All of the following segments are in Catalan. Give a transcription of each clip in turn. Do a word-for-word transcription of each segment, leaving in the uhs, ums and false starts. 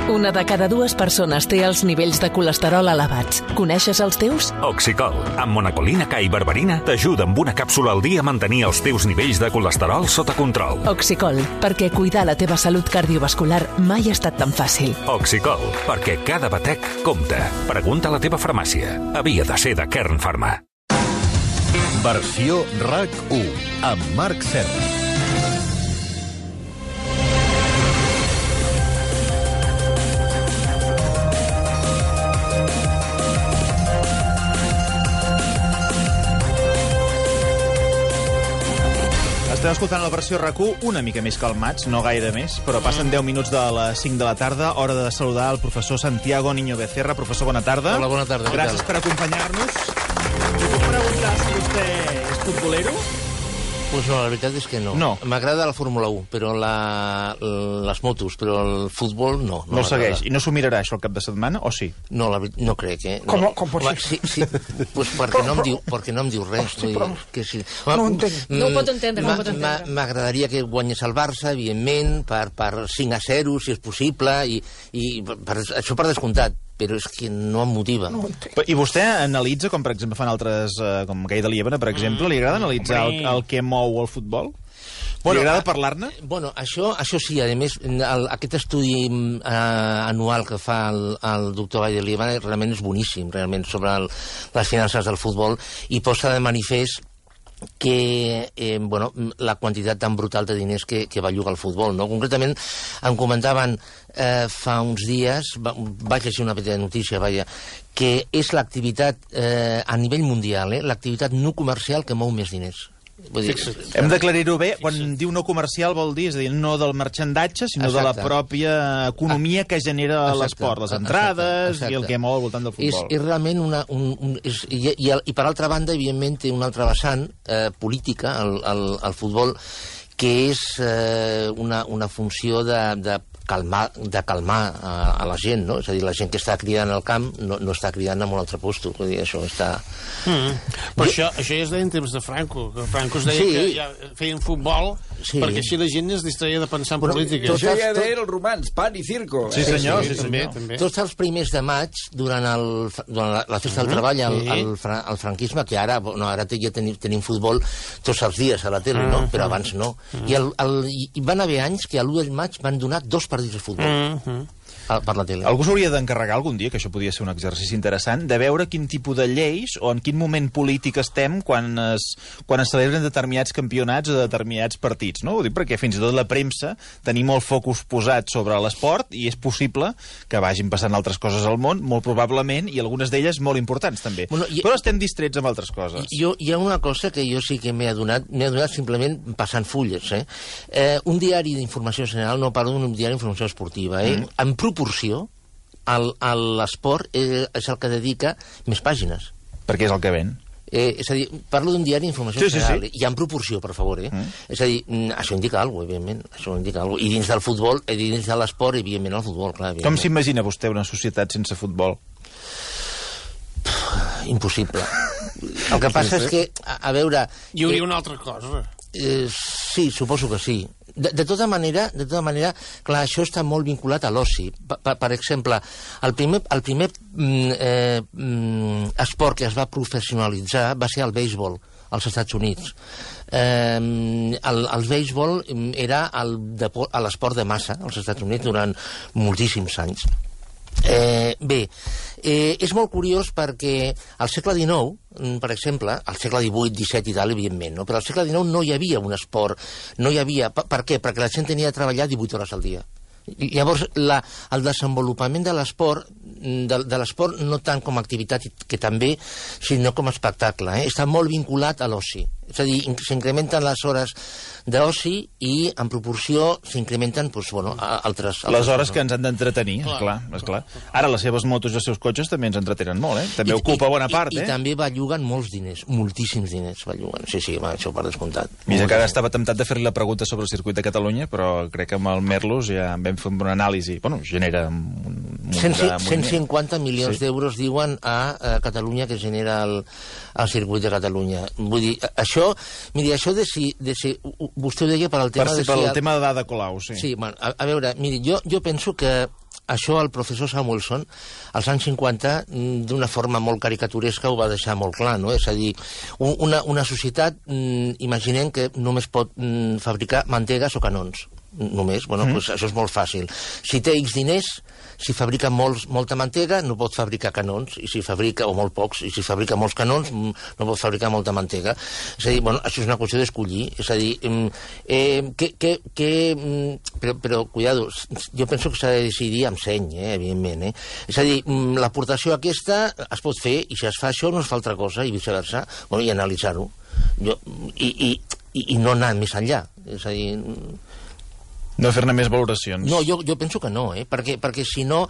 Una de cada dues persones té els nivells de colesterol elevats. Coneixes els teus? Oxicol, amb monacolina K i berberina, t'ajuda amb una càpsula al dia a mantenir els teus nivells de colesterol sota control. Oxicol, perquè cuidar la teva salut cardiovascular mai ha estat tan fàcil. Oxicol, perquè cada batec compta. Pregunta a la teva farmàcia. Havia de ser de Kern Pharma. Versió RAC u, amb Marc Serra. Estem escoltant la versió RAC u una mica més calmats, no gaire més, però passen deu minuts de les cinc de la tarda, hora de saludar el professor Santiago Niño Becerra. Professor, bona tarda. Hola, bona tarda. Gràcies per acompanyar-nos. Us puc preguntar si vostè és futbolero? Pues no, la veritat és que no. No. M'agrada la Fórmula u, però la, les motos, però el futbol no. No, no el segueix. I no s'ho mirarà això el cap de setmana, o sí? No, la, no crec, eh? Com, no. com pot ser? Sí, sí. Pues perquè, però, no em diu, perquè no em diu res. Hosti, però... que sí. No ho entenc. No ho pot entendre, no ho pot entendre. M'agradaria que guanyés el Barça, evidentment, per, per cinc a zero, si és possible, i, i per, això per descomptat. Però és que no em motiva. No I vostè analitza, com per exemple fan altres, eh, com Gai de Liebana, per exemple, li agrada analitzar el, el que mou el futbol? Bueno, li agrada parlar-ne? Bueno, això, això sí, a més, el, aquest estudi eh, anual que fa el, el doctor Gai de Liebana realment és boníssim, realment, sobre el, les finances del futbol, i posa de manifest que eh, bueno, la quantitat tan brutal de diners que, que va llogar el futbol, no? Concretament, em comentaven eh, fa uns dies, va, vaig llegir una petita notícia, vaja, que és l'activitat eh, a nivell mundial, eh, l'activitat no comercial que mou més diners. Vull dir, hem d'aclarir-ho bé, quan diu no comercial vol dir, és a dir, no del marxandatge, sinó exacte, de la pròpia economia que genera l'esport, les entrades exacte, exacte. I el que mou al voltant del futbol. És, és realment una... Un, un, és, i, i, i per altra banda, evidentment, té una altra vessant eh, política, el, el, el futbol, que és eh, una, una funció de, de calmar, de calmar a, a la gent, no? És a dir, la gent que està cridant al camp no, no està cridant en un altre puesto. Vull dir, això està... Mm. Però jo... això, això ja es deia en temps de Franco, que Franco es deia sí. que ja feien futbol sí. perquè així la gent es distreia de pensar en bueno, política. Això ja deien els romans, pan i circo. Sí, senyor. Sí, sí, sí, també, senyor. també. Tots els primers de maig, durant, el, durant la, la festa del treball, el, el, el, el franquisme, que ara, no, ara ja tenim, tenim futbol tots els dies a la tele, no? Però abans no. I, el, el, i van haver anys que a l'u de maig van donar dos partits de futbol. Mm-hmm. Per la tele. Algú s'hauria d'encarregar algun dia, que això podria ser un exercici interessant, de veure quin tipus de lleis o en quin moment polític estem quan es, quan es celebren determinats campionats o determinats partits, no? Ho dic perquè fins i tot la premsa tenim molt focus posat sobre l'esport i és possible que vagin passant altres coses al món, molt probablement, i algunes d'elles molt importants també. Bueno, i, però estem distrets amb altres coses. Jo, hi ha una cosa que jo sí que m'he adonat, m'he adonat simplement passant fulles. Eh? Eh, un diari d'informació general, no parlo d'un diari d'informació esportiva, eh? Mm. En proporció, l'esport és el que dedica més pàgines. Perquè és el que ven. Eh, és a dir, parlo d'un diari d'informació sí, general, sí, sí. i en proporció, per favor, eh? Mm. És a dir, això indica alguna cosa, evidentment, això indica alguna cosa. I dins del futbol, i dins de l'esport, evidentment, el futbol, clar. Com s'imagina vostè una societat sense futbol? Impossible. El que passa és que, a, a veure... Hi hauria eh, una altra cosa. Eh, sí, suposo que sí. De, de tota manera, de tota manera, clar, això està molt vinculat a l'oci. Per, per, per exemple, el primer, el primer eh, esport que es va professionalitzar va ser el béisbol als Estats Units. Eh, el, el béisbol era l'esport de massa als Estats Units durant moltíssims anys. Eh, bé, eh, és molt curiós perquè al segle dinou, per exemple, al segle divuit, disset i tal, evidentment, no? Però al segle dinou no hi havia un esport, no hi havia... Per, per què? Perquè la gent tenia de treballar divuit hores al dia. I llavors, la, el desenvolupament de l'esport, de, de l'esport no tant com a activitat, que també, sinó com a espectacle, eh? Està molt vinculat a l'oci. És a dir, s'incrementen les hores d'oci i, en proporció, s'incrementen doncs, bueno, altres... altres les hores que ens han d'entretenir, esclar, esclar. Ara, les seves motos i els seus cotxes també ens entretenen molt, eh? També I, ocupa bona part, i, eh? I també belluguen molts diners, moltíssims diners belluguen. Sí, sí, va, això per descomptat. Mira que ara estava temptat de fer-li la pregunta sobre el circuit de Catalunya, però crec que amb el Merlos ja vam fer una anàlisi. Bueno, genera un, un cent cinquanta milions sí. d'euros, diuen, a, a Catalunya, que genera el, el circuit de Catalunya. Vull dir, això, miri, això de si, de si vostè ho deia per al tema per si, de si... Per el el... tema de Ada Colau, sí. Sí, bueno, a, a veure, miri, jo, jo penso que això el professor Samuelson, als anys cinquanta, d'una forma molt caricaturesca, ho va deixar molt clar, no? És a dir, una, una societat, imaginem que només pot fabricar mantegues o canons. Només, bueno, mm. pues això és molt fàcil. Si té X diners, si fabrica molts, molta mantega, no pot fabricar canons, i si fabrica, o molt pocs, i si fabrica molts canons, no pot fabricar molta mantega. És a dir, bueno, això és una qüestió d'escollir. És a dir, eh, que, que, que, però, però, cuidado, jo penso que s'ha de decidir amb seny, eh, evidentment. Eh? És a dir, l'aportació aquesta es pot fer, i si es fa això no es fa altra cosa, i viceversa, bueno, i analitzar-ho. Jo, i, i, i, I no anar més enllà. És a dir... No fer-ne més valoracions. No, jo, jo penso que no, eh? perquè, perquè si no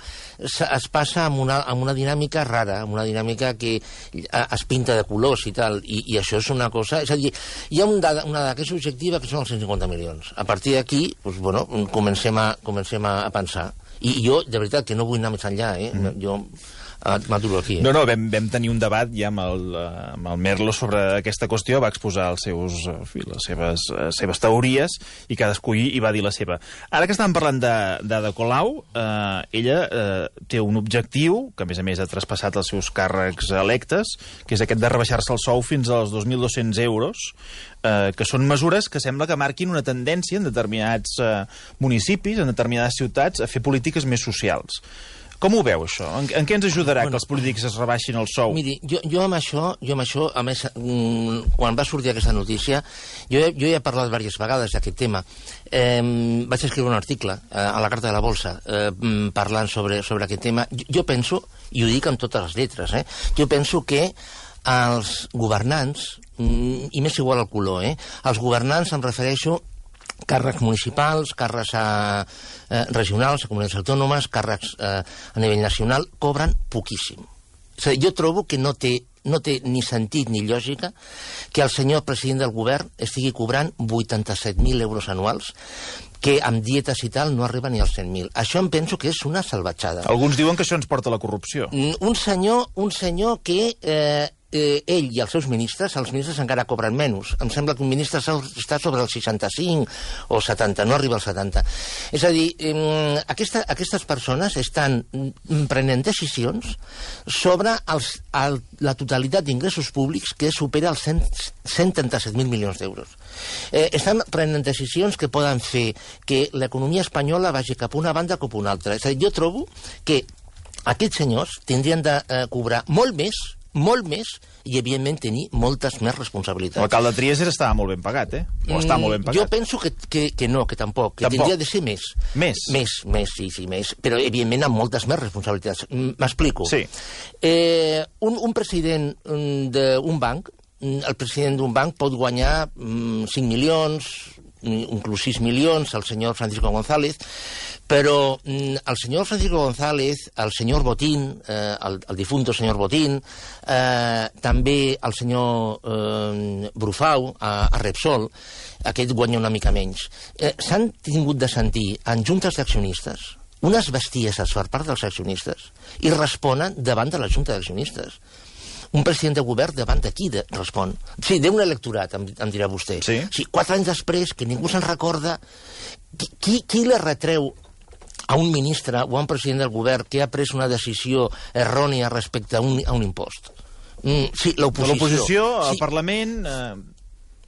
es passa amb una, amb una dinàmica rara, amb una dinàmica que es pinta de colors i tal, i, i això és una cosa... És a dir, hi ha un dada, una dada que és objectiva, que són els cent cinquanta milions. A partir d'aquí, doncs, bueno, comencem a, comencem a pensar. I, i jo, de veritat, que no vull anar més enllà, eh? Mm. Jo... m'aturo aquí. Eh? No, no, vam, vam tenir un debat ja amb el, amb el Merlo sobre aquesta qüestió, va exposar els seus, les seves, seves teories i cadascú hi va dir la seva. Ara que estàvem parlant d'Ada Colau, eh, ella eh, té un objectiu, que a més a més ha traspassat els seus càrrecs electes, que és aquest de rebaixar-se el sou fins als dos mil dos-cents euros, eh, que són mesures que sembla que marquin una tendència en determinats eh, municipis, en determinades ciutats, a fer polítiques més socials. Com ho veu, això? En, en què ens ajudarà bueno, que els polítics es rebaixin el sou? Miri, jo, jo amb això, jo amb això, a més, quan va sortir aquesta notícia, jo, jo ja he parlat diverses vegades d'aquest tema. Eh, vaig escriure un article eh, a la Carta de la Bolsa eh, parlant sobre, sobre aquest tema. Jo, jo penso, i ho dic amb totes les lletres, eh, jo penso que els governants, i m'és igual el color, eh, els governants em refereixo càrrecs municipals, càrrecs a, eh, regionals, a comunitats autònomes, càrrecs eh, a nivell nacional, cobren poquíssim. És a dir, jo trobo que no té, no té ni sentit ni lògica que el senyor president del govern estigui cobrant vuitanta-set mil euros anuals, que amb dietes i tal no arriba ni als cent mil. Això em penso que és una salvatjada. Alguns diuen que això ens porta a la corrupció. Un senyor, un senyor que... Eh, Eh, ell i els seus ministres, els ministres encara cobren menys. Em sembla que un ministre està sobre el seixanta-cinc o setanta, no arriba al setanta. És a dir, eh, aquesta, aquestes persones estan prenent decisions sobre els, el, la totalitat d'ingressos públics que supera els cent trenta-set mil milions d'euros. Eh, estan prenent decisions que poden fer que l'economia espanyola vagi cap a una banda o cap a una altra. És a dir, jo trobo que aquests senyors tindrien de eh, cobrar molt més, molt més, i evidentment tenir moltes més responsabilitats. L'alcalde de Trias estava molt ben pagat, eh? O està molt ben pagat. Jo penso que, que, que no, que tampoc, que tampoc. Tindria de ser més. Més? Més, més, sí, sí, més. Però evidentment amb moltes més responsabilitats. M'explico. Sí. Eh, un, un president d'un banc, el president d'un banc pot guanyar mm, cinc milions, inclús sis milions, el senyor Francisco González, però mm, el senyor Francisco González, el senyor Botín, eh, el, el difunto senyor Botín, eh, també el senyor eh, Brufau, a, a Repsol, aquest guanya una mica menys. Eh, S'han tingut de sentir en juntes d'accionistes unes bestieses per part dels accionistes i responen davant de la junta d'accionistes. Un president de govern davant de qui de, respon? Sí, d'un electorat, em, em dirà vostè. Sí. Sí, quatre anys després, que ningú se'n recorda, qui, qui, qui li retreu a un ministre o a un president del govern que ha pres una decisió errònia respecte a un, a un impost? Mm, sí, l'oposició. L'oposició, el sí. Parlament... Eh...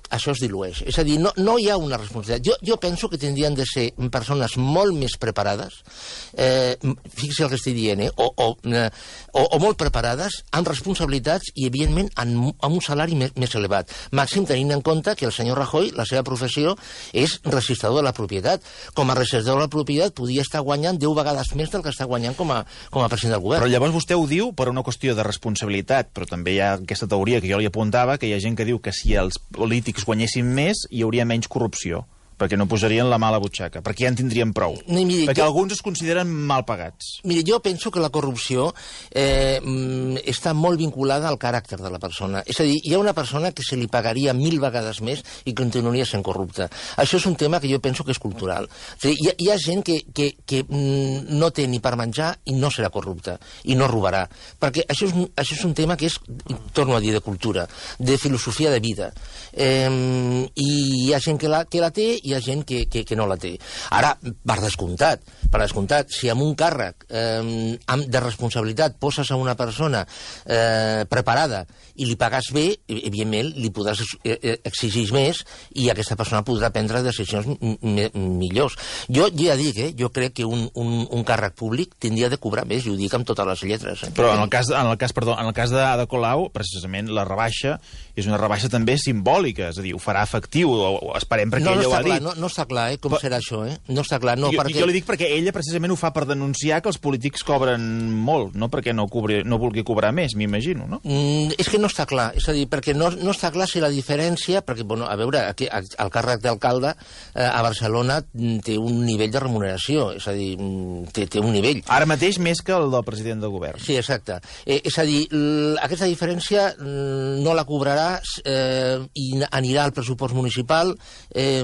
Això es dilueix. És a dir, no, no hi ha una responsabilitat. Jo, jo penso que tindrien de ser persones molt més preparades, eh, fixi el que estic dient, eh, o, o, eh, o, o molt preparades, amb responsabilitats i, evidentment, amb, amb un salari més, més elevat. Màxim tenint en compte que el senyor Rajoy, la seva professió, és registrador de la propietat. Com a registrador de la propietat podria estar guanyant deu vegades més del que està guanyant com a, com a president del govern. Però llavors vostè ho diu per una qüestió de responsabilitat, però també hi ha aquesta teoria que jo li apuntava, que hi ha gent que diu que si els polítics guanyessin més, hi hauria menys corrupció, perquè no posarien la mà a la butxaca, perquè ja en tindrien prou. No, miri, perquè jo... alguns es consideren mal pagats. Miri, jo penso que la corrupció eh, està molt vinculada al caràcter de la persona. És a dir, hi ha una persona que se li pagaria mil vegades més i continuaria sent corrupta. Això és un tema que jo penso que és cultural. És a dir, hi, ha, hi ha gent que, que, que no té ni per menjar i no serà corrupta, i no robarà. Perquè això és, això és un tema que és, torno a dir, de cultura, de filosofia de vida. Eh, I hi ha gent que la, que la té hi ha gent que, que, que no la té. Ara, per descomptat, per descomptat, si amb un càrrec eh, de responsabilitat poses a una persona eh, preparada i li pagues bé, evidentment li podràs exigir més i aquesta persona podrà prendre decisions millors. Jo ja dic, eh, jo crec que un, un, un càrrec públic tindria de cobrar més, i ho dic amb totes les lletres. Eh? Però en el cas, en el cas, perdó, en el cas d'Ada Colau, precisament la rebaixa és una rebaixa també simbòlica, és a dir, ho farà efectiu, o, o esperem perquè no, ella no ho ha clar, dit. No, no està clar, eh, com Però, serà això, eh? No està clar, no, jo, perquè... Jo li dic perquè ella precisament ho fa per denunciar que els polítics cobren molt, no perquè no, cobri, no vulgui cobrar més, m'imagino, no? Mm, és que no està clar, és a dir, perquè no, no està clar si la diferència, perquè, bueno, a veure, aquí, el càrrec d'alcalde eh, a Barcelona té un nivell de remuneració, és a dir, té, té un nivell. Ara mateix més que el del president del govern. Sí, exacte. Eh, és a dir, aquesta diferència no la cobrarà eh, i anirà al pressupost municipal, eh,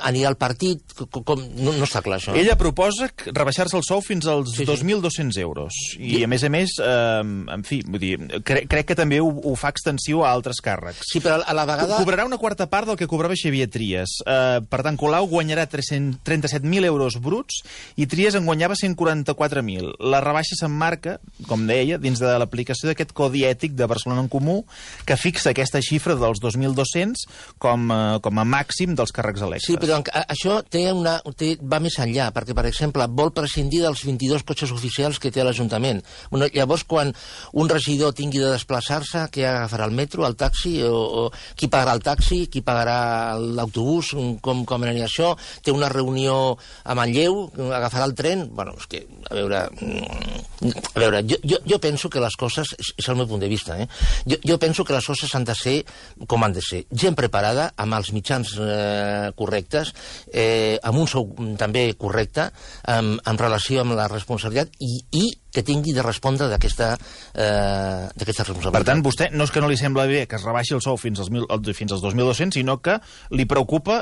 anirà al partit, com, com, no, no està clar això. Ella proposa rebaixar-se el sou fins als sí, sí. dos mil dos-cents euros. I, sí. a més a més, eh, en fi, vull dir, cre crec que també ho, ho fa extensiu a altres càrrecs. Sí, però a la vegada... Cobrarà una quarta part del que cobrava Xavier Trias. Eh, per tant, Colau guanyarà tres-cents trenta-set mil euros bruts i Trias en guanyava cent quaranta-quatre mil. La rebaixa s'emmarca, com deia, dins de l'aplicació d'aquest codi ètic de Barcelona en Comú que fixa aquesta xifra dels dos mil dos-cents com, eh, com a màxim dels càrrecs electes. Sí, però això té una, té, va més enllà, perquè, per exemple, vol prescindir dels vint-i-dos cotxes oficials que té l'Ajuntament. Bueno, llavors, quan un regidor tingui de desplaçar-se, què agafarà el metro, el taxi, o, o qui pagarà el taxi, qui pagarà l'autobús, com, com anirà això? Té una reunió a Manlleu, agafarà el tren? Bueno, és que, a veure... A veure, jo, jo, jo penso que les coses, és el meu punt de vista, eh? Jo, jo penso que les coses han de ser com han de ser. Gent preparada, amb els mitjans eh, correctes, eh, amb un sou també correcte, amb, en relació amb la responsabilitat i, i que tingui de respondre d'aquesta eh, responsabilitat. Per tant, vostè no és que no li sembla bé que es rebaixi el sou fins als, mil, fins als dos mil dos-cents, sinó que li preocupa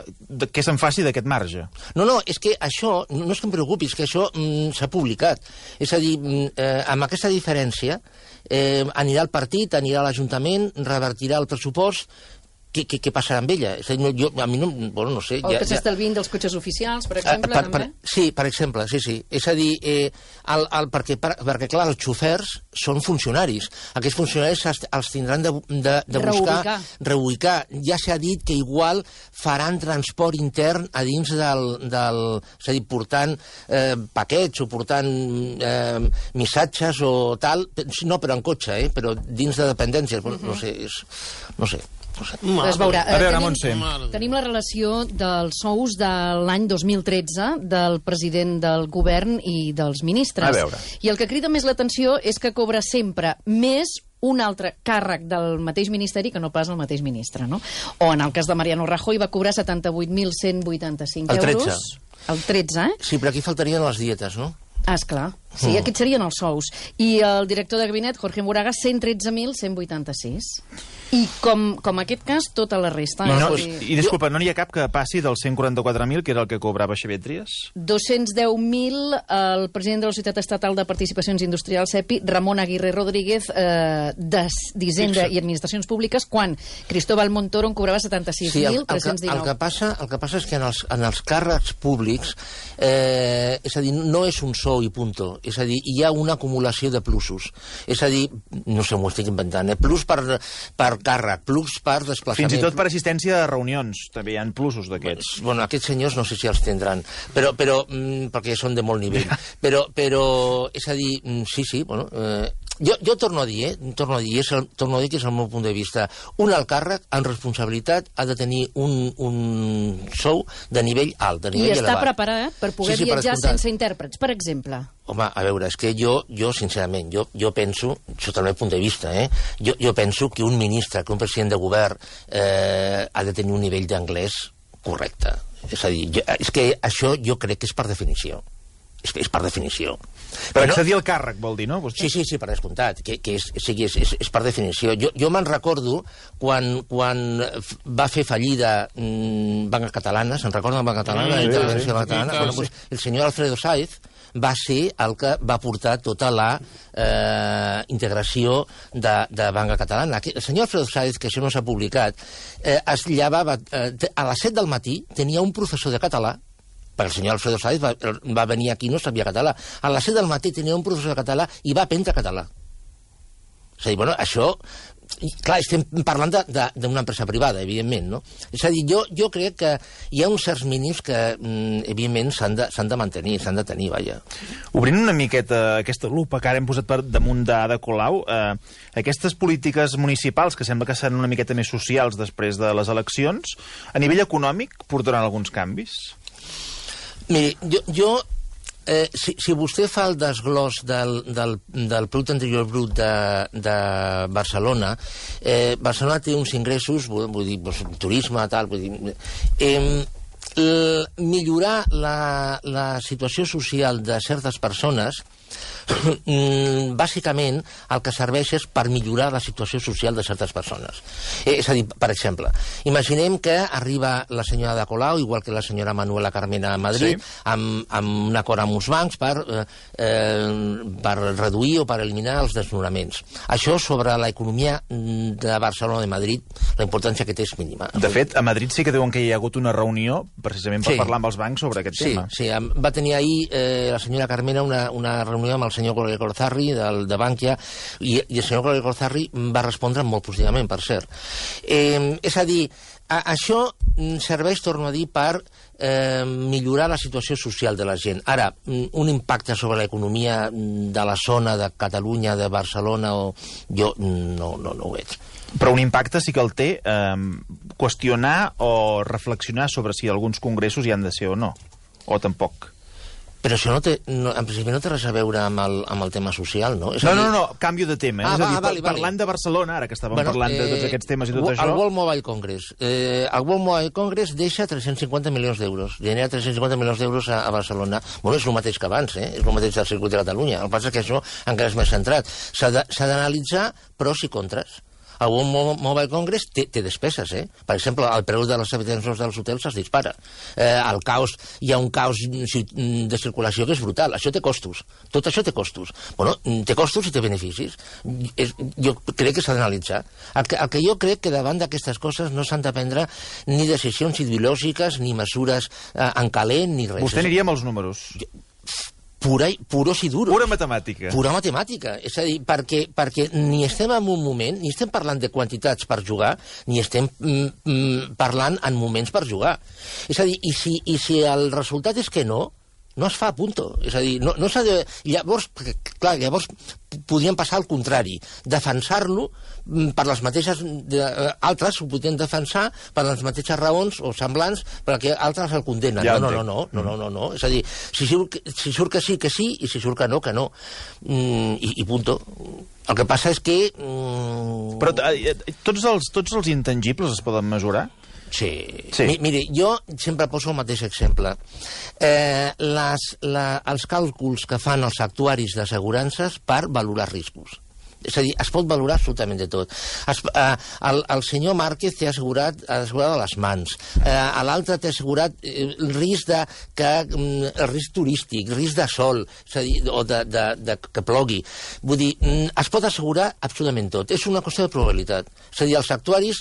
que se'n faci d'aquest marge. No, no, és que això, no és que em preocupi, és que això mm, s'ha publicat. És a dir, eh, amb aquesta diferència eh, anirà al partit, anirà a l'Ajuntament, revertirà el pressupost. Què, què, què passarà amb ella? És a dir, jo, a mi no, bueno, no sé... O ja, que s'estalvin ja... dels cotxes oficials, per exemple, per, per, també? Sí, per exemple, sí, sí. És a dir, eh, el, el, perquè, per, perquè, clar, els xofers són funcionaris. Aquests funcionaris els, els tindran de, de, de buscar... Reubicar. Reubicar. Ja s'ha dit que igual faran transport intern a dins del... del és a dir, portant eh, paquets o portant eh, missatges o tal, no, però en cotxe, eh, però dins de dependències. Uh-huh. No sé, és, no sé. Es veurà. A veure, tenim, Montse. Tenim la relació dels sous de l'any dos mil tretze del president del govern i dels ministres. A veure. I el que crida més l'atenció és que cobra sempre més un altre càrrec del mateix ministeri que no pas el mateix ministre, no? O en el cas de Mariano Rajoy va cobrar setanta-vuit mil cent vuitanta-cinc euros. El tretze. El tretze, eh? Sí, però aquí faltarien les dietes, no? Ah, esclar. Sí, mm. aquests serien els sous. I el director de gabinet, Jorge Moraga, cent tretze mil cent vuitanta-sis. I com, com aquest cas, tota la resta. No, no, és I, I disculpa, no n'hi ha cap que passi dels cent quaranta-quatre mil, que era el que cobrava Xavier Trias? dos-cents deu mil el president de la Societat Estatal de Participacions Industrials, SEPI, Ramon Aguirre Rodríguez, eh, d'Hisenda i Administracions Públiques, quan Cristóbal Montoro en cobrava setanta-sis mil tres-cents dinou. Sí, el, el, el, que passa, el que passa és que en els, en els càrrecs públics, eh, és a dir, no és un sou i punto, és a dir, hi ha una acumulació de plusos. És a dir, no sé, m'ho estic inventant, eh? Plus per, per càrrec, plus per desplaçament. Fins i tot per assistència a reunions, també hi ha plusos d'aquests. Bueno, aquests senyors no sé si els tindran, però, però mm, perquè són de molt nivell. Però, però és a dir, mm, sí, sí, bueno... Eh, jo, jo torno a dir, eh, torno a dir, és el, torno a dir que és el meu punt de vista. Un alt càrrec, en responsabilitat, ha de tenir un, un sou de nivell alt, de nivell elevat. I està elevat. preparat per poder sí, sí, viatjar per sense intèrprets, per exemple. Home, a veure, és que jo, jo sincerament, jo, jo penso, sota el meu punt de vista, eh, jo, jo penso que un ministre, que un president de govern eh, ha de tenir un nivell d'anglès correcte. És a dir, jo, és que això jo crec que és per definició. És, és per definició. Per accedir al càrrec, vol dir, no? Vostè? Sí, sí, sí, per descomptat, que, que és, sigui, és, és, és per definició. Jo, jo me'n recordo quan, quan va fer fallida mmm, Banca Catalana, se'n recorda Banca Catalana? Sí, la sí, sí, Banca Catalana? sí, Bueno, pues, el senyor Alfredo Sáez va ser el que va portar tota la eh, integració de, de Banca Catalana. El senyor Alfredo Sáez, que això no s'ha publicat, eh, es llevava, eh, a les set del matí tenia un professor de català, perquè el senyor Alfredo Sáez va, va venir aquí i no sabia català. A les set del matí tenia un professor de català i va aprendre català. És a dir, bueno, això... Clar, estem parlant d'una empresa privada, evidentment, no? És a dir, jo, jo crec que hi ha uns certs mínims que, evidentment, s'han de, s'han de mantenir, s'han de tenir, vaja. Obrint una miqueta aquesta lupa que ara hem posat per damunt d'Ada Colau, eh, aquestes polítiques municipals, que sembla que seran una miqueta més socials després de les eleccions, a nivell econòmic portaran alguns canvis? Miri, jo... jo Eh, si, si vostè fa el desglòs del, del, del producte interior brut de, de Barcelona, eh, Barcelona té uns ingressos, vull, vull dir, pues, turisme, tal, vull dir... Eh, l, millorar la, la situació social de certes persones bàsicament el que serveix és per millorar la situació social de certes persones. Eh, és a dir, per exemple, imaginem que arriba la senyora Ada Colau, igual que la senyora Manuela Carmena a Madrid, sí. amb, amb un acord amb uns bancs per, eh, per reduir o per eliminar els desnonaments. Això sobre l'economia de Barcelona o de Madrid, la importància que té és mínima. De fet, a Madrid sí que diuen que hi ha hagut una reunió precisament per sí. parlar amb els bancs sobre aquest sí, tema. Sí, va tenir ahir eh, la senyora Carmena una, una reunió amb el senyor Coll Corzarri, del, de Bankia, i, i el senyor Coll Corzarri va respondre molt positivament, per cert. Eh, és a dir, a, això serveix, torno a dir, per eh, millorar la situació social de la gent. Ara, un impacte sobre l'economia de la zona de Catalunya, de Barcelona, o jo no, no, no ho veig. Però un impacte sí que el té eh, qüestionar o reflexionar sobre si alguns congressos hi han de ser o no, o tampoc. Però això no té, no, en principi no té res a veure amb el, amb el tema social, no? És no, dir... no, no, canvio de tema. Ah, és a dir, va, vale, parlant vale. de Barcelona, ara que estàvem bueno, parlant de tots eh, aquests temes i tot el això... El World Mobile Congress. Eh, el World Mobile Congress deixa tres-cents cinquanta milions d'euros. Genera tres-cents cinquanta milions d'euros a, a Barcelona. Bueno, és el mateix que abans, eh? És el mateix del circuit de Catalunya. El que passa és que això encara és més centrat. S'ha d'analitzar pros i contres. El World Mobile Congress té, té despeses, eh? Per exemple, el preu de les habitacions dels hotels es dispara. Eh, el caos, hi ha un caos de circulació que és brutal. Això té costos. Tot això té costos. Bueno, té costos i té beneficis. És, jo crec que s'ha d'analitzar. El, que, el que jo crec que davant d'aquestes coses no s'han de prendre ni decisions ideològiques, ni mesures eh, en calent, ni res. Vostè aniria amb els números. Jo, Pura, puros i duros. Pura matemàtica. Pura matemàtica. És a dir, perquè, perquè ni estem en un moment, ni estem parlant de quantitats per jugar, ni estem mm, mm, parlant en moments per jugar. És a dir, i si, i si el resultat és que no, no es fa, punto. És a dir, no, no s'ha de... Llavors, clar, llavors podrien passar al contrari, defensar-lo per les mateixes... De, altres ho podrien defensar per les mateixes raons o semblants perquè altres el condemnen. Ja no, no, no, no, no, no, no. És a dir, si surt, si surt que sí, que sí, i si surt que no, que no. Mm, i, I punto. El que passa és que... Mm... Però eh, tots, els, tots els intangibles es poden mesurar? Sí. sí. Mi, miri, jo sempre poso el mateix exemple. Eh, les, la, els càlculs que fan els actuaris d'assegurances per valorar riscos. És a dir, es pot valorar absolutament de tot. Es, eh, el, el senyor Márquez té assegurat, assegurat les mans. Eh, L'altre té assegurat eh, el risc de, que, el risc turístic, risc de sol, és a dir, o de, de, de que plogui. Vull dir, es pot assegurar absolutament tot. És una qüestió de probabilitat. És a dir, els actuaris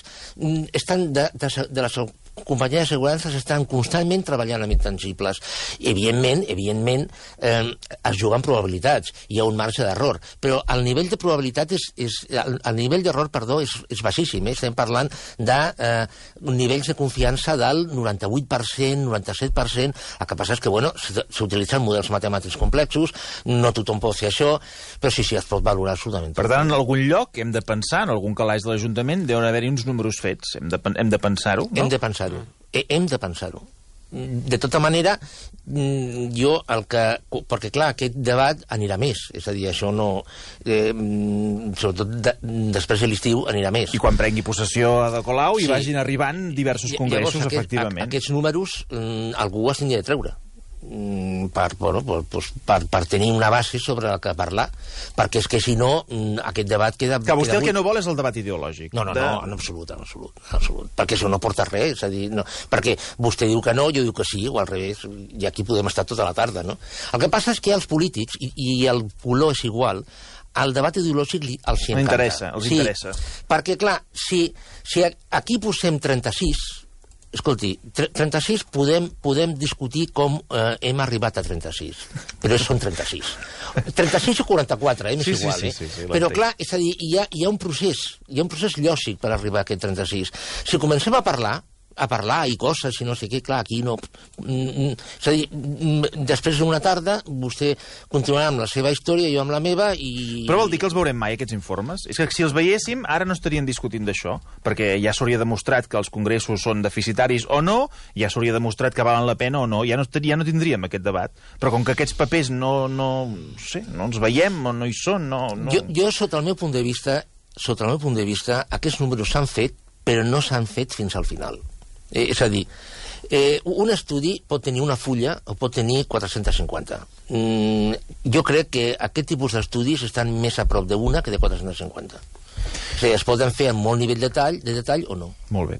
estan de, de, de les companyies d'assegurances estan constantment treballant amb intangibles. Evidentment, evidentment, eh, es juguen probabilitats. Hi ha un marge d'error. Però el nivell de probabilitat és... és el, el nivell d'error, perdó, és, és baixíssim. Eh? Estem parlant de eh, nivells de confiança del noranta-vuit per cent, noranta-set per cent. El que passa és que, bueno, s'utilitzen models matemàtics complexos, no tothom pot fer això, però sí, sí, es pot valorar absolutament. Per tant, en algun lloc hem de pensar, en algun calaix de l'Ajuntament, deuen haver-hi uns números fets. Hem de, hem de pensar-ho, no? Hem de pensar-ho. Hem de pensar-ho. De tota manera, jo el que... Perquè, clar, aquest debat anirà més. És a dir, això no... Eh, sobretot de, després de l'estiu anirà més. I quan prengui possessió Ada Colau sí. i vagin arribant diversos congressos, Llavors, aquest, efectivament. Aquests números, algú els hauria de treure. per, bueno, pues, per, per tenir una base sobre la que parlar, perquè és que si no aquest debat queda... Que vostè queda el que no vol és el debat ideològic. No, no, de... no, en absolut, en absolut, en absolut, perquè això no porta res, és a dir, no, perquè vostè diu que no, jo diu que sí, o al revés, i aquí podem estar tota la tarda, no? El que passa és que els polítics, i, i el color és igual, el debat ideològic li, els encanta. Interessa, els sí, interessa. Perquè, clar, si, si aquí posem trenta-sis... Escolti, trenta-sis podem, podem discutir com eh, hem arribat a trenta-sis, però són trenta-sis. trenta-sis o quaranta-quatre, eh, m'és sí, igual, sí, eh? sí, sí, sí, però clar, és a dir, hi ha, hi ha un procés, hi ha un procés lògic per arribar a aquest trenta-sis. Si comencem a parlar, a parlar i coses i no sé què, clar, aquí no... És a dir, després d'una tarda vostè continuarà amb la seva història, jo amb la meva i... Però vol dir que els veurem mai, aquests informes? És que si els veiéssim, ara no estarien discutint d'això, perquè ja s'hauria demostrat que els congressos són deficitaris o no, ja s'hauria demostrat que valen la pena o no, ja no, ja no tindríem aquest debat. Però com que aquests papers no, no, no sé, no els veiem o no hi són, no... no... Jo, jo, sota el meu punt de vista, sota el meu punt de vista, aquests números s'han fet, però no s'han fet fins al final. Eh, és a dir, eh, un estudi pot tenir una fulla o pot tenir quatre-cents cinquanta. Mm, jo crec que aquest tipus d'estudis estan més a prop d'una que de quatre-cents cinquanta. O sigui, es poden fer amb molt nivell de detall, de detall o no. Molt bé.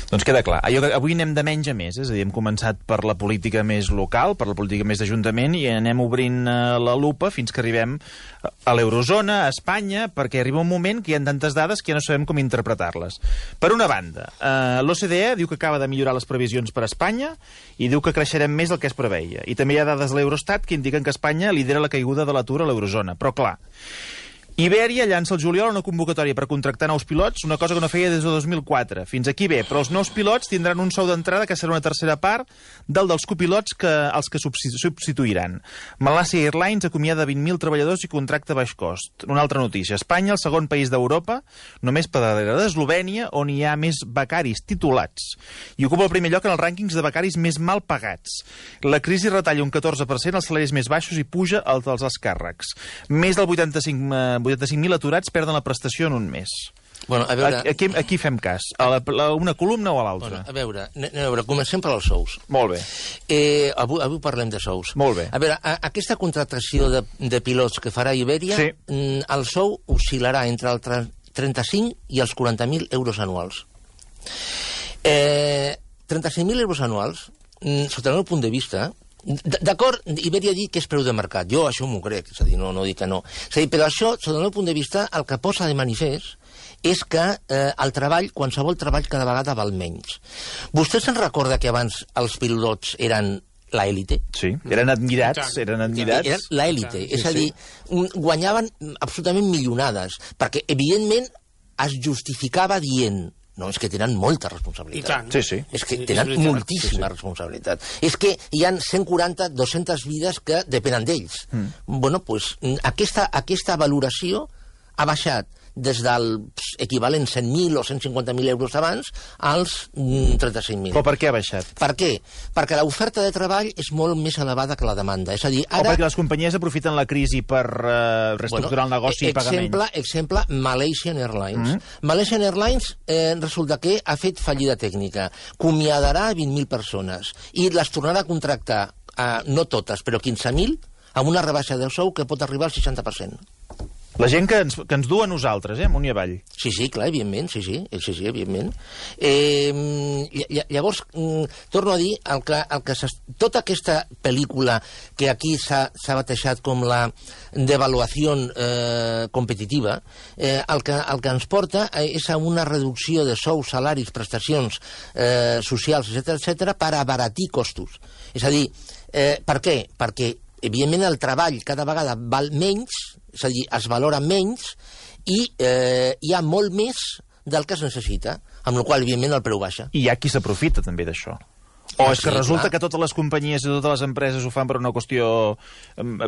Doncs queda clar. Allò que avui anem de menys a més, és a dir, hem començat per la política més local, per la política més d'Ajuntament, i anem obrint la lupa fins que arribem a l'eurozona, a Espanya, perquè arriba un moment que hi ha tantes dades que ja no sabem com interpretar-les. Per una banda, eh, l'O C D E diu que acaba de millorar les previsions per a Espanya i diu que creixerem més del que es preveia. I també hi ha dades de l'Eurostat que indiquen que Espanya lidera la caiguda de l'atur a l'eurozona. Però clar, Ibèria llança el juliol una convocatòria per contractar nous pilots, una cosa que no feia des de dos mil quatre. Fins aquí bé, però els nous pilots tindran un sou d'entrada que serà una tercera part del dels copilots que els que substituiran. Malaysia Airlines acomiada vint mil treballadors i contracta baix cost. Una altra notícia. Espanya, el segon país d'Europa, només per darrere d'Eslovènia, on hi ha més becaris titulats. I ocupa el primer lloc en els rànquings de becaris més mal pagats. La crisi retalla un catorze per cent als salaris més baixos i puja els dels alts càrrecs. Més del vuitanta-cinc mil aturats perden la prestació en un mes. Bueno, a veure... Aquí, aquí fem cas. A la, a una columna o a l'altra? Bueno, a veure, a veure, comencem per als sous. Molt bé. Eh, avui, avui parlem de sous. Molt bé. A veure, a, aquesta contractació de, de pilots que farà Ibèria, sí. El sou oscil·larà entre el trenta-cinc i els quaranta mil euros anuals. Eh, trenta-cinc mil euros anuals, sota el meu punt de vista... D'acord, Ibèria ha dit que és preu de mercat. Jo això m'ho crec, és a dir, no, no dic que no. És a dir, però això, sota el meu punt de vista, el que posa de manifest és que eh, el treball, qualsevol treball, cada vegada val menys. Vostè se'n recorda que abans els pilots eren l'élite? Sí, eren admirats, eren admirats. Eren l'élite, sí, és a dir, sí. guanyaven absolutament milionades, perquè, evidentment, es justificava dient... No, és que tenen molta responsabilitat. Sí, sí. És que tenen és moltíssima sí, sí. responsabilitat. És que hi ha cent quaranta, dues-centes vides que depenen d'ells. Mm. Bueno, doncs, aquesta, aquesta valoració ha baixat des del equivalent cent mil o cent cinquanta mil euros abans als trenta-cinc mil. Però per què ha baixat? Per què? Perquè l'oferta de treball és molt més elevada que la demanda. És a dir, ara... O perquè les companyies aprofiten la crisi per uh, reestructurar bueno, el negoci i pagar exemple, menys. Exemple, Malaysian Airlines. Mm -hmm. Malaysian Airlines eh, resulta que ha fet fallida tècnica. Comiadarà vint mil persones i les tornarà a contractar, eh, no totes, però quinze mil, amb una rebaixa del sou que pot arribar al seixanta per cent. La gent que ens, que ens du a nosaltres, eh, amunt i avall. Sí, sí, clar, evidentment, sí, sí, sí, sí evidentment. Eh, llavors, torno a dir, el que, el que tota aquesta pel·lícula que aquí s'ha batejat com la devaluació eh, competitiva, eh, el, que, el que ens porta és a una reducció de sous, salaris, prestacions eh, socials, etcètera, etcètera, per abaratir costos. És a dir, eh, per què? Perquè evidentment el treball cada vegada val menys, és a dir, es valora menys i eh, hi ha molt més del que es necessita, amb la qual evidentment el preu baixa. I hi ha qui s'aprofita també d'això. O ah, és que sí, resulta clar. que totes les companyies i totes les empreses ho fan per una qüestió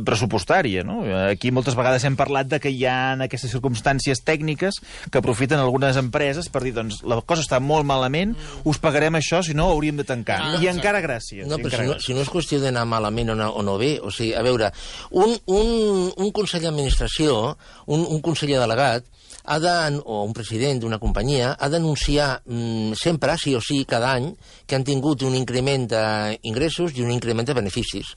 pressupostària, no? Aquí moltes vegades hem parlat de que hi ha aquestes circumstàncies tècniques que aprofiten algunes empreses per dir, doncs, la cosa està molt malament, us pagarem això, si no hauríem de tancar. Ah, I encara gràcies. No, però encara si no, gràcies. si no és qüestió d'anar malament o no, o no bé, o sigui, a veure, un, un, un consell d'administració, un, un conseller delegat, ha de, o un president d'una companyia, ha d'anunciar mm, sempre, sí o sí, cada any, que han tingut un increment increment d'ingressos i un increment de beneficis.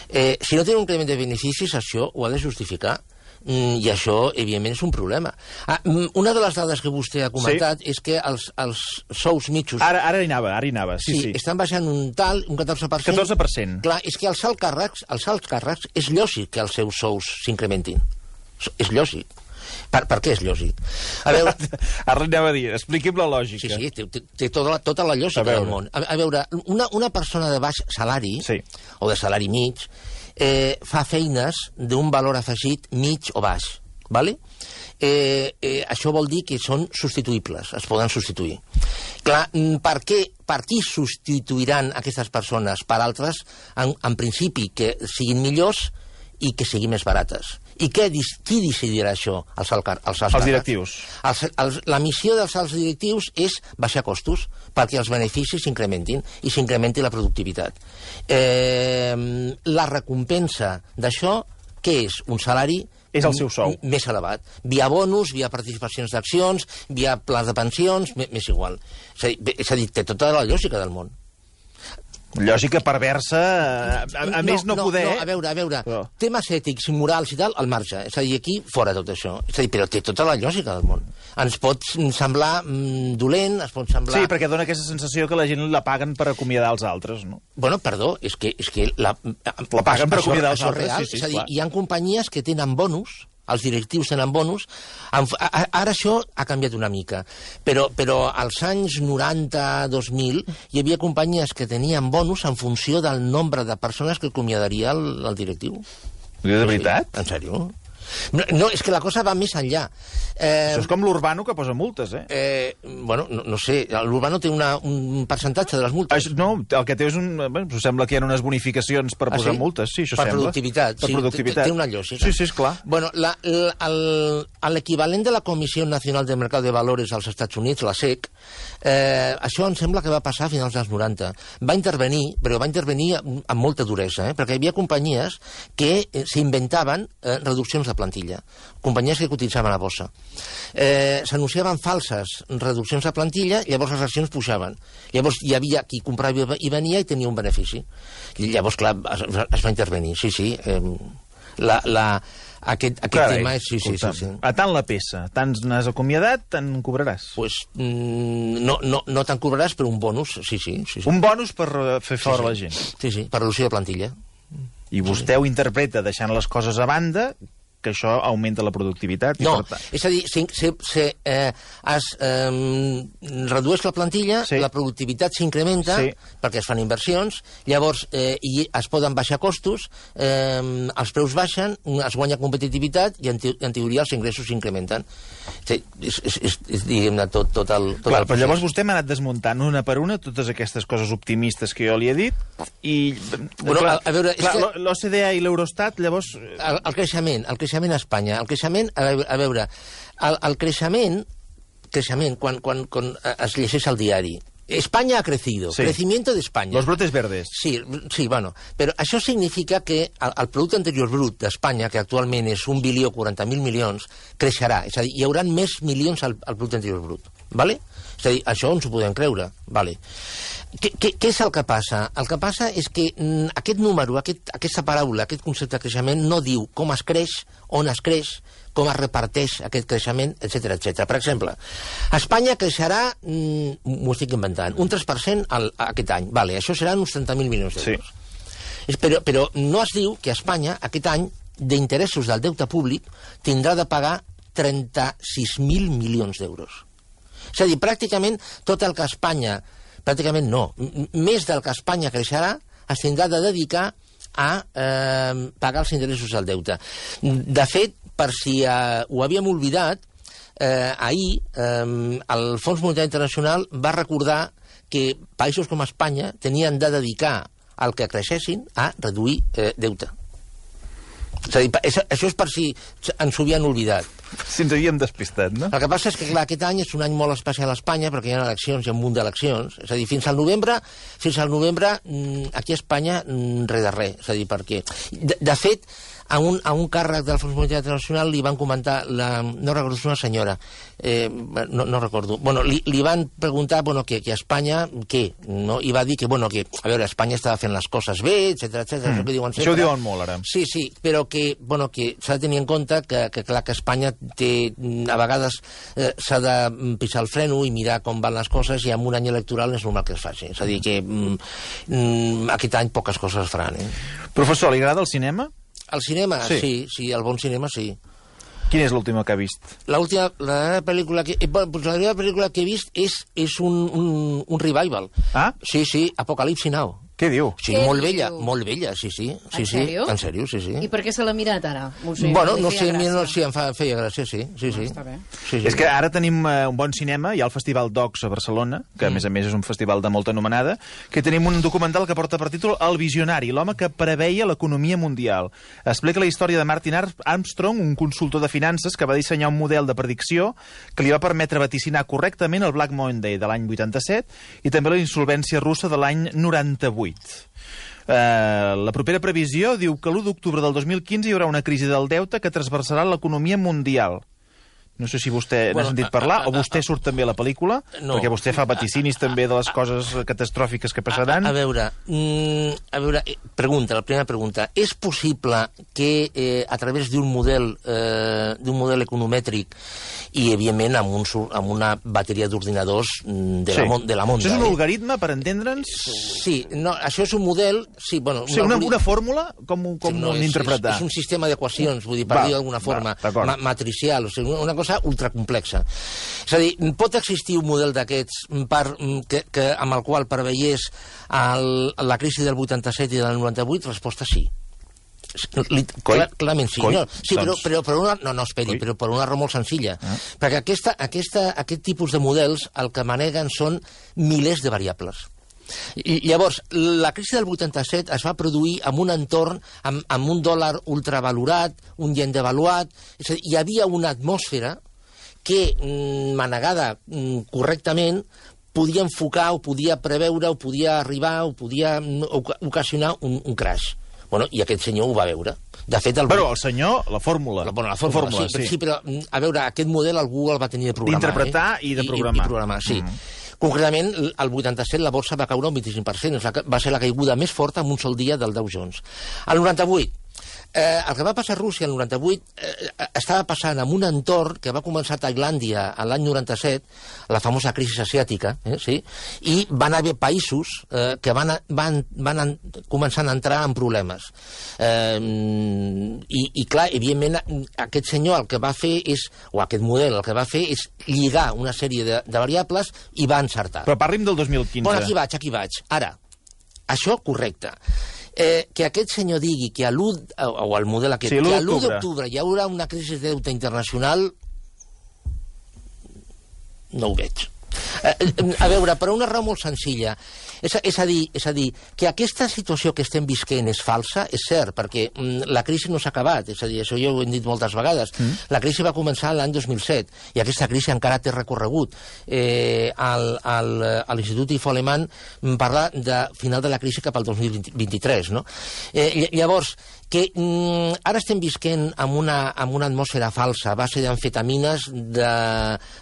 Eh, si no tenen un increment de beneficis, això ho ha de justificar. Mm, I això, evidentment, és un problema. Ah, una de les dades que vostè ha comentat sí. és que els, els sous mitjos... Ara, ara hi anava, ara hi anava, sí, sí. sí. Estan baixant un tal, un catorze per cent. catorze per cent. Clar, és que els alts càrrecs, els alts càrrecs és lògic que els seus sous s'incrementin. És lògic. Per, per què és lògic? A veure... Ara li anava a dir, expliqui'm la lògica. Sí, sí, té, té, té tota, la, tota la lògica del món. A, a veure, una, una persona de baix salari, sí. o de salari mig, eh, fa feines d'un valor afegit mig o baix. Vale? Eh, eh, això vol dir que són substituïbles, es poden substituir. Clar, per què, per qui substituiran aquestes persones? Per altres, en, en principi, que siguin millors i que siguin més barates. I què, qui decidirà això? Els, alcar, els, els, els directius. Els, els, la missió dels alts directius és baixar costos perquè els beneficis s'incrementin i s'incrementi la productivitat. Eh, la recompensa d'això, què és? Un salari és el seu sou. Més elevat. Via bonus, via participacions d'accions, via plans de pensions, m'és igual. És a dir, és a dir, té tota la lògica del món. Lògica perversa, a, a, a no, més no, no poder... No, a veure, a veure, però... temes ètics i morals i tal, al marge. És a dir, aquí, fora tot això. És a dir, però té tota la lògica del món. Ens pot semblar mm, dolent, es pot semblar... Sí, perquè dona aquesta sensació que la gent la paguen per acomiadar els altres, no? Bueno, perdó, és que... És que la, la paguen per acomiadar els altres, real, sí, sí, és a dir, clar. Hi ha companyies que tenen bonus, els directius tenen bonus, ara això ha canviat una mica, però, però als anys noranta dos mil hi havia companyies que tenien bonus en funció del nombre de persones que acomiadaria el, el directiu. De veritat? Sí, en sèrio? No, no, és que la cosa va més enllà. Eh, Això és com l'Urbano, que posa multes, eh? eh bueno, no, no sé, l'Urbano té una, un percentatge de les multes. Això, no, el que té és un... Bueno, sembla que hi ha unes bonificacions per posar ah, sí? multes, sí, això per sembla. Productivitat, per sí, productivitat. Té una lògica. Sí, sí, esclar. Bueno, l'equivalent de la Comissió Nacional de Mercat de Valores als Estats Units, la S E C, eh, això em sembla que va passar a finals dels noranta. Va intervenir, però va intervenir amb, amb molta duresa, eh, perquè hi havia companyies que eh, s'inventaven eh, reduccions de plantilla. Companyies que cotitzaven a bossa. Eh, S'anunciaven falses reduccions de plantilla, llavors les accions pujaven. Llavors hi havia qui comprava i venia i tenia un benefici. I llavors, clar, es, es va intervenir. Sí, sí. Eh, la, la, aquest aquest Carai, tema és... Sí, sí, sí, sí. A tant la peça, tant n'has acomiadat, tant cobraràs. Pues, mm, no no, no te'n cobraràs, però un bonus, sí, sí. sí, sí. Un bonus per fer fora sí, sí. la gent. Sí, sí, per reducció de plantilla. I vostè sí. ho interpreta deixant les coses a banda, que això augmenta la productivitat. I no, per tant... és a dir, si, si, si eh, es eh, redueix la plantilla, sí. la productivitat s'incrementa, sí. perquè es fan inversions, llavors eh, i es poden baixar costos, eh, els preus baixen, es guanya competitivitat i en, te en teoria els ingressos s'incrementen. Sí, és, és, és, és diguem-ne, tot, tot el... Tot Clar, el però llavors vostè m'ha anat desmuntant una per una totes aquestes coses optimistes que jo li he dit i... Bueno, clar, a, a veure, clar, que... l'O C D E i l'Eurostat, llavors... El, el creixement, el creixement a Espanya, el creixement, a veure, a veure el, el creixement, creixement quan, quan, quan es llegeix al diari, España ha crecido, sí. Crecimiento de España. Los brotes verdes. Sí, sí, bueno, però això significa que el, el producte interior brut d'Espanya, que actualment és un bilió quaranta mil milions, creixerà, és a dir, hi haurà més milions al, al producte interior brut, ¿vale? És a dir, això ens ho podem creure, ¿vale? Què, què, què és el que passa? El que passa és que mm, aquest número, aquest, aquesta paraula, aquest concepte de creixement no diu com es creix, on es creix, com es reparteix aquest creixement, etcètera, etcètera. Per exemple, Espanya creixerà, mm, m'ho estic inventant, un tres per cent al, aquest any. Vale, això seran uns trenta mil milions d'euros. Sí. Però, però no es diu que Espanya, aquest any, d'interessos del deute públic, tindrà de pagar trenta-sis mil milions d'euros. És a dir, pràcticament tot el que Espanya... Pràcticament no. Més del que Espanya creixerà es tindrà de dedicar a eh, pagar els interessos del deute. De fet, per si eh, ho havíem oblidat, eh, ahir eh, el Fons Monetari Internacional va recordar que països com Espanya tenien de dedicar al que creixessin a reduir eh, deute. És a dir, això és per si ens ho havien oblidat. Si ens havíem despistat, no? El que passa és que, clar, aquest any és un any molt especial a Espanya perquè hi ha eleccions, hi ha un munt d'eleccions. És a dir, fins al novembre, fins al novembre, aquí a Espanya, res de res. És a dir, perquè... De, de fet, a un, a un càrrec del Fons Monetari Internacional li van comentar, la, no recordo, és una senyora, eh, no, no recordo, bueno, li, li van preguntar, bueno, que, que a Espanya, què? No? I va dir que, bueno, que, a veure, Espanya estava fent les coses bé, etcètera, etcètera. Mm. Diuen sempre. Això ho diuen molt, ara. Sí, sí, però que, bueno, que s'ha de tenir en compte que, que clar, que Espanya té, a vegades eh, s'ha de pisar el freno i mirar com van les coses, i en un any electoral és normal que es faci. És a dir, que mm, aquest any poques coses es faran. Eh? Professor, li agrada el cinema? El cinema, sí, sí, sí, el bon cinema, sí. Quina és l'última que ha vist? L'última, la pel·lícula que... Eh, pues la primera pel·lícula que he vist és, és un, un, un revival. Ah? Sí, sí, Apocalipsi Now. Què diu? Sí, Què molt diu? vella, molt vella, sí, sí. sí en sèrio? Sí, en sèrio, sí, sí. I per què se l'ha mirat ara? O sigui, Bueno, li no feia sé, gràcia? no, sí, em fa, feia gràcia, sí. sí, sí. Ah, està bé. Sí, sí. És que ara tenim uh, un bon cinema, hi ha el Festival Docs a Barcelona, que a més a més és un festival de molta anomenada, que tenim un documental que porta per títol El visionari, l'home que preveia l'economia mundial. Explica la història de Martin Armstrong, un consultor de finances que va dissenyar un model de predicció que li va permetre vaticinar correctament el Black Monday de l'any vuitanta-set i també la insolvència russa de l'any noranta-vuit. Uh, la propera previsió diu que l'u d'octubre del dos mil quinze hi haurà una crisi del deute que transversarà l'economia mundial. No sé si vostè Bueno, n'ha sentit a- parlar, a- o vostè surt també a la pel·lícula, No. perquè vostè fa vaticinis també de les coses catastròfiques que passaran. A, a veure, mm, a veure, eh, pregunta, la primera pregunta. És possible que eh, a través d'un model eh, d'un model economètric i, evidentment, amb, un, sur- amb una bateria d'ordinadors mm, de, Sí. la, mon- de la Monda... Això és un eh? algoritme, per entendre'ns? Sí, no, això és un model... Sí, bueno, Sí, una, algoritme- una fórmula? Com, com Sí, no, és, interpretar? És, és un sistema d'equacions, vull dir, per Va, dir d'alguna forma, va, d'acord. ma matricial, o sigui, una cosa ultracomplexa. És a dir, pot existir un model d'aquests per, que, que, amb el qual preveiés el, la crisi del vuitanta-set i del noranta-vuit? Resposta sí. Li, clar, clarament sí. Coi, No, sí, però, doncs- però per una... No, no, esperi, Coi. però per una raó molt senzilla. Ah. Perquè aquesta, aquesta, aquest tipus de models el que maneguen són milers de variables. I llavors, la crisi del vuitanta-set es va produir en un entorn amb, amb un dòlar ultravalorat, un yen devaluat, és a dir, hi havia una atmosfera que, mm, manegada mm, correctament, podia enfocar, o podia preveure, o podia arribar, o podia mm, oca- ocasionar un, un crash. Bueno, i aquest senyor ho va veure. De fet, el... Però el senyor, la fórmula. La, bueno, la fórmula, fórmula sí, sí. sí, però, mm, a veure, aquest model algú el va tenir de programar. D'interpretar eh? i de programar. I, i programar, sí. Mm. Concretament, el vuitanta-set la borsa va caure un vint-i-cinc per cent, va ser la caiguda més forta en un sol dia del Dow Jones. El noranta-vuit, eh, el que va passar a Rússia el noranta-vuit eh, estava passant en un entorn que va començar a Tailàndia l'any noranta-set, la famosa crisi asiàtica, eh, sí? I van haver països eh, que van, van, van en, començar a entrar en problemes. Eh, i, I, clar, evidentment, aquest senyor el que va fer és, o aquest model el que va fer és lligar una sèrie de, de variables i va encertar. Però parli'm del dos mil quinze. Bueno, aquí vaig, aquí vaig. Ara, això correcte. Eh, que aquest senyor digui que a l'u... O, o el model aquest, Sí, l'u que a l'u d'octubre. d'octubre hi haurà una crisi de deute internacional, no ho veig. Eh, a veure, per una raó molt senzilla. És, és, a dir, és a dir, que aquesta situació que estem visquent és falsa, és cert, perquè mm, la crisi no s'ha acabat, és a dir, això jo ho he dit moltes vegades. Mm. La crisi va començar l'any dos mil set, i aquesta crisi encara té recorregut. Eh, al, al, a l'Institut I F O Alemany parla de final de la crisi cap al dos mil vint-i-tres, no? Eh, llavors, que mm, ara estem visquent amb una, amb una atmosfera falsa a base d'amfetamines, de,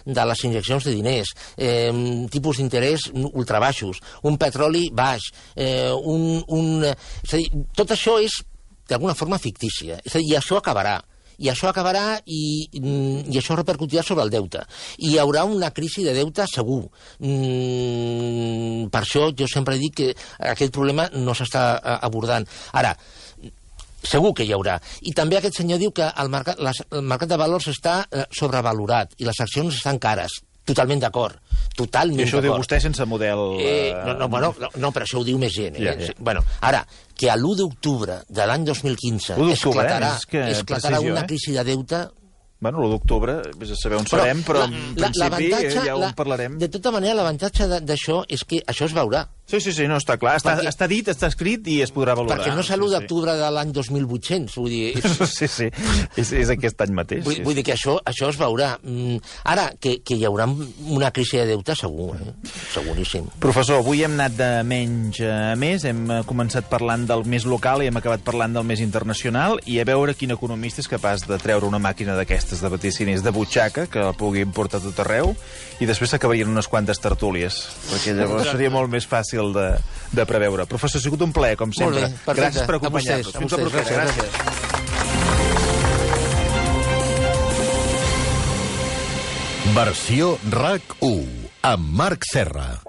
de les injeccions de diners, eh, tipus d'interès ultrabaixos, un petroli baix, eh, un, un... És a dir, tot això és d'alguna forma fictícia. És a dir, i això acabarà. I això acabarà i, i això repercutirà sobre el deute. I hi haurà una crisi de deute segur. Mm, per això jo sempre dic que aquest problema no s'està abordant. Ara, segur que hi haurà. I també aquest senyor diu que el mercat, les, el mercat de valors està eh, sobrevalorat i les accions estan cares. Totalment d'acord. Totalment I això ho diu d'acord. vostè sense model... Eh, no, no, bueno, no, no, però això ho diu més gent. Eh? Ja, ja. Bueno, ara, que a l'u d'octubre de l'any dos mil quinze l'u d'octubre, esclatarà, eh? És que esclatarà precisió, una eh? crisi de deute... Bueno, l'u d'octubre, vés a saber on serem, però en principi ja ho en parlarem. De tota manera, l'avantatge de- d'això és que això es veurà. Sí, sí, sí, no, està clar. Està, Perquè- està dit, està escrit i es podrà valorar. Perquè no és l'u Sí, sí. d'octubre de l'any dos mil vuit-cents, vull dir... És, Sí, sí, és, és aquest any mateix. vull, sí, vull sí. dir que això, això es veurà. Mm, Ara, que, que hi haurà una crisi de deute, segur, eh? Seguríssim. Professor, avui hem anat de menys a més, hem eh, començat parlant del més local i hem acabat parlant del més internacional, i a veure quin economista és capaç de treure una màquina d'aquestes de vaticinis de butxaca, que la pugui portar a tot arreu, i després s'acabarien unes quantes tertúlies, perquè llavors seria molt més fàcil de, de preveure. Professor, ha sigut un plaer, com sempre. Molt bé, perfecte. Gràcies per A vostès, acompanyar-nos. a Fins la vostès, propera. gràcies, Gràcies. Versió RAC u amb Marc Serra.